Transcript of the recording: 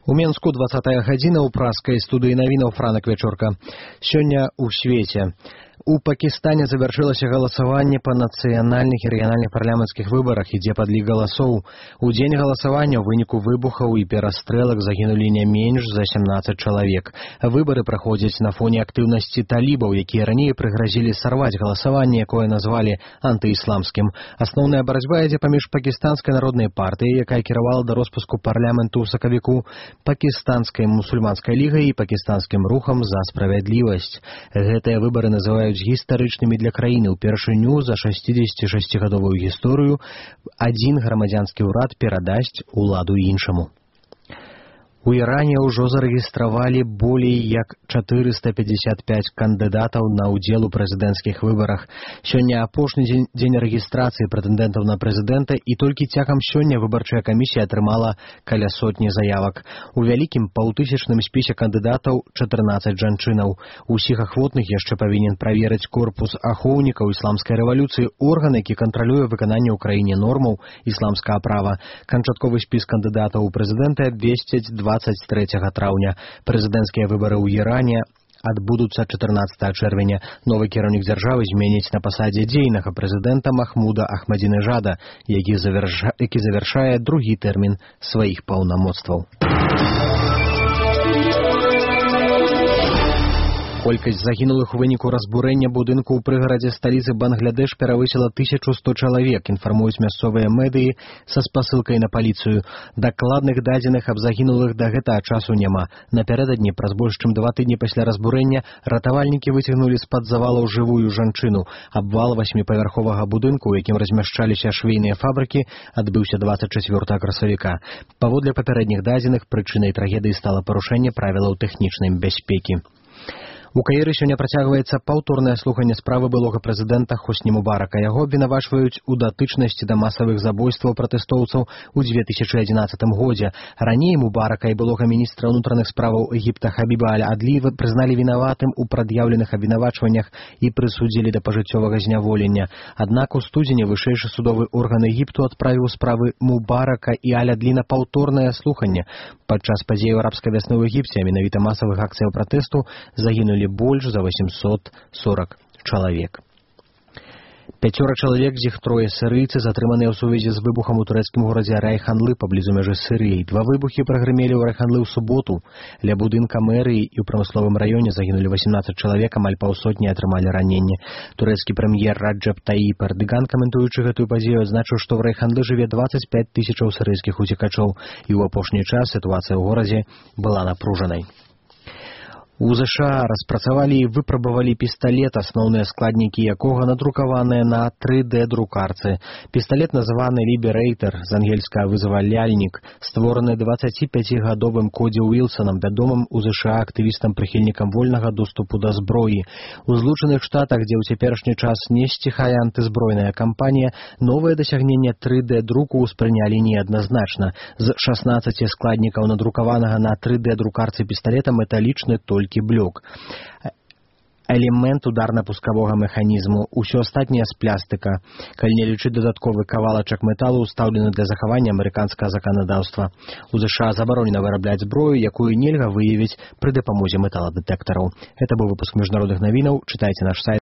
У Менску 20-я гадзіна ў праскай студыі навінаў Франак Вечорка. Сёння ў свеце. У Пакістане завяршылася галасаванне па нацыянальных і рэгіянальных парламенцкіх выбарах, ідзе падлік галасоў. У дзень галасавання ў выніку выбухаў і перастрэлак загінулі не менш за 17 чалавек. Выбары праходзяць на фоне актыўнасці талібаў, якія раней прыгразілі сарваць галасаванне, якое назвалі антыісламскім. Асноўная барацьба ідзе паміж Пакістанскай народнай партыяй, якая кіравала да роспуску парламенту ў сакавіку, Пакістанскай мусульманскай лігай і Пакістанскім рухам за справядлівасць. Гэтыя выбары называюць гістарычнымі для краіны. Упершыню за 66-гадовую гісторыю адзін грамадзянскі ўрад перадасць уладу іншаму. У Іране ўжо зарэгістравалі болей як 455 кандыдатаў на ўдзел у прэзідэнцкіх выбарах. Сёння апошні дзень рэгістрацыі прэтэндэнтаў на прэзідэнта, і толькі цягам сёння выбарчая камісія атрымала каля сотні заявак. У вялікім паўтысячным спісе кандыдатаў 14 жанчынаў. Усіх ахвотных яшчэ павінен праверыць корпус ахоўнікаў ісламскай рэвалюцыі, орган, які кантралюе выкананне ў краіне нормаў ісламскага права. Канчатковы спіс кандыдатаў у прэзідэнты абвесцяць 23 траўня. Прэзідэнцкія выбары ў Іране адбудуцца 14 чэрвеня. Новы кіраўнік дзяржавы зменіць на пасадзе дзейнага прэзідэнта Махмуда Ахмадзінежада, які завяршае другі тэрмін сваіх паўнамоцтваў. Колькасць загінулых у выніку разбурэння будынку ў прыгарадзе сталіцы Бангладеш перавысіла 1100 чалавек, інфармуюць мясцовыя медыі са спасылкай на паліцыю. Дакладных дадзеных аб загінулых да гэтага часу няма. Напярэдадні, праз больш чым 2 тыдні пасля разбурэння, ратавальнікі выцягнулі з-пад завалаў жывую жанчыну. Абвал 8павярховага будынку, у якім размяшчаліся швейныя фабрыкі, адбыўся 24 красавіка. Паводле папярэдніх дадзеных, прычынай трагедыі стала парушэнне правілаў тэхнічнай бяспекі. У Каіры сёння працягваецца паўторнае слуханне справы былога прэзідэнта Хосні Мубарака. Яго абвінавачваюць у датычнасці да масавых забойстваў пратэстоўцаў у 2011 годзе. Раней Мубарака і былога міністра ўнутраных справаў Егіпта Хабіба Аль-Адлі прызналі вінаватым у прад'яўленых абвінавачваннях і прысудзілі да пажыццёвага зняволення. Аднак у студзені вышэйшы судовы орган Егіпту адправіў справы Мубарака і Аль-Адлі на паўторнае слуханне. Падчас падзеяў арабскай вясны ў Егіпце, а менавіта масавых акцыяў пратэсту, загінулі больш за 840 чалавек. 5 чалавек, з іх 3 сірыйцы, затрыманыя ў сувязі з выбухам у турэцкім горадзе Райханлы паблізу мяжы з Сірыяй. 2 выбухі прагрымелі ў Райханлы ў суботу. Ля будынка мэрыі і ў прамысловым раёне загінулі 18 чалавек, амаль паўсотні атрымалі раненне. Турэцкі прэм'ер Раджаб Таіп Эрдаган, каментуючы гэтую падзею, адзначыў, што ў Райханлы жыве 25 тысячаў сірыйскіх уцекачоў, і ў апошні час сітуацыя ў горадзе была напружанай. У ЗША распрацавалі і выпрабавалі пісталет, асноўныя складнікі якога надрукаваныя на 3D-друкарцы. Пісталет названы Liberator, з ангельскага вызваляльнік, створаны 25-гадовым Коді Уілсонам, вядомым у ЗША актывістам-прыхільнікам вольнага доступу да зброі. У Злучаных Штатах, дзе ў цяперашні час не сціхае антызбройная кампанія, новае дасягненне 3D-друку ўспрынялі неадназначна. З 16 складнікаў надрукаванага на 3D-друкарцы пісталета металічны толькі блок. Элемент ударна-пускавога механізму, усё астатняе з пластыка. Калі не лічыць дадатковы кавалачак металу, устаўлены для захавання амерыканскага заканадаўства. У ЗША забаронена вырабляць зброю, якую нельга выявіць пры дапамозе металадэтэктараў. Гэта быў выпуск міжнародных навінаў. Чытайце наш сайт.